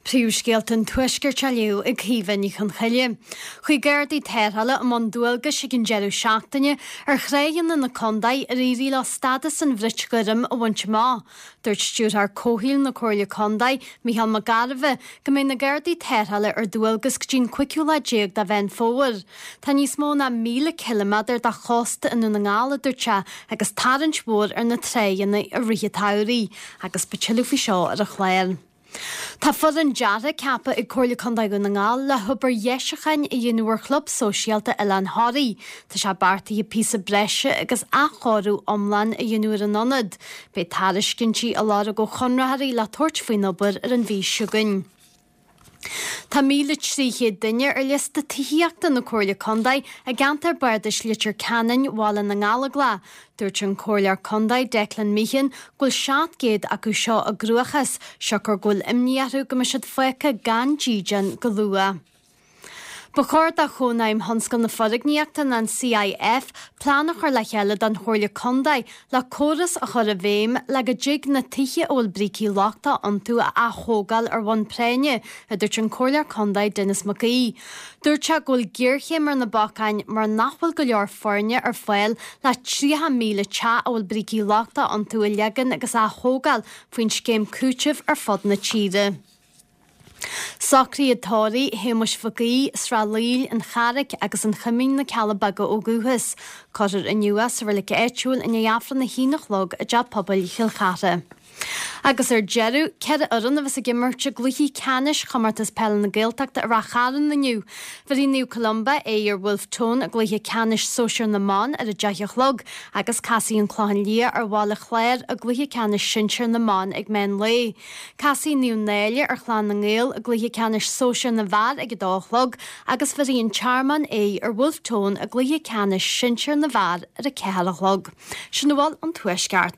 Príomhscéalta an Tuaiscirt á léamh ag Caoimhe Ní Chonchoille. Chuaigh Gardaí Tarrthála i mbun dualgais ag an deireadh seachtaine ar thráigheanna na contae ar éirigh leo stádas an bhrait ghoirm a bhaint amach. Dúirt Stiúrthóir Comhshaoil na Comhairle Contae, Micheál Mac Gairbheith, go mbeidh na Gardaí Tarrthála ar dualgas go dtí an cúigiú lá déag de Mheán Fómhair. Tá níos mó ná 1,000 ciliméadar de chósta i nDún na nGall, a dúirt sé, agus tarraingt mhór ar na tráigheanna i rith an tsamhraidh. Agus beidh tuilleadh faoi seo ar an chlár. Tá foireann deartha ceaptha ag Comhairle Contae Dhún na nGall le hobair dheisiúcháin a dhéanamh ar Chlub Sóisialta Oileán Thoraí. Tá sé beartaithe píosa breise agus athchóiriú iomlán a dhéanamh ar an ionad. Beidh tairiscintí á lorg ó chonraitheoirí le tabhairt faoin obair ar an mhí seo chugainn. Tá 1,300 duine ar liosta tithíochta na Comhairle Contae i gceantar Bardais Leitir Ceanainn, Bhaile na nGallóglach. Dúirt an Comhairleoir Contae Declan Meehan go bhfuil 700 acu seo i gcruachás, siocair go bhfuil imní orthu go mbeidh siad fágtha gan dídean go luath. Ba chóir do Chónaidhm Thionscal na Foirgníochta nó an CIF plean a chur le chéile don Chomhairle Contae le córas a chur i bhfeidhm le go dtig na tithe a bhfuil brící lochtacha iontu a ath-thógáil ar bhonn práinne, a dúirt an Comhairleoir Contae Denis Mac Aoidh. Dúirt sé go bhfuil géarchéim ar na bacáin mar nach bhfuil go leor foirne ar fáil le 30,000 teach a bhfuil brící lochtacha iontu a leagan agus a ath-thógáil faoin scéim cúitimh ar fud na tíre. Socruithe tórraimh Shéamuis Mhic Aoidh, Srath Laoil, An Charraic agus An Choimín na Cealla Beaga ó dhúchas. Cuirfear inniu é sa reilig áitiúil i ndiaidh Aifreann a haon a chlog i dTeach Pobail Chill Chartha. Agus ar deireadh, 4 fhoireann a bheas ag imirt i gcluichí ceannais Chomórtas Peile na Gaeltachta i Rath Chairn inniu. Bheirfidh Naomh Columba aghaidh ar Bhulf Tón i gcluiche ceannais sóisir na mban ar a 10 a chlog agus casfaidh An Clochán Liath ar Bhaile Chláir i gcluiche ceannais sinsir na mban ag meán lae. Casfaidh Naomh Náille ar Chlann na nGael i gcluiche ceannais sóisir na bhfear ag 2 a chlog agus bheirfidh An Tearmann aghaidh ar Bhulf Tón i gcluiche ceannais sinsir na bhfear ar 4 a chlog. Sin a bhfuil ón Tuaisceart.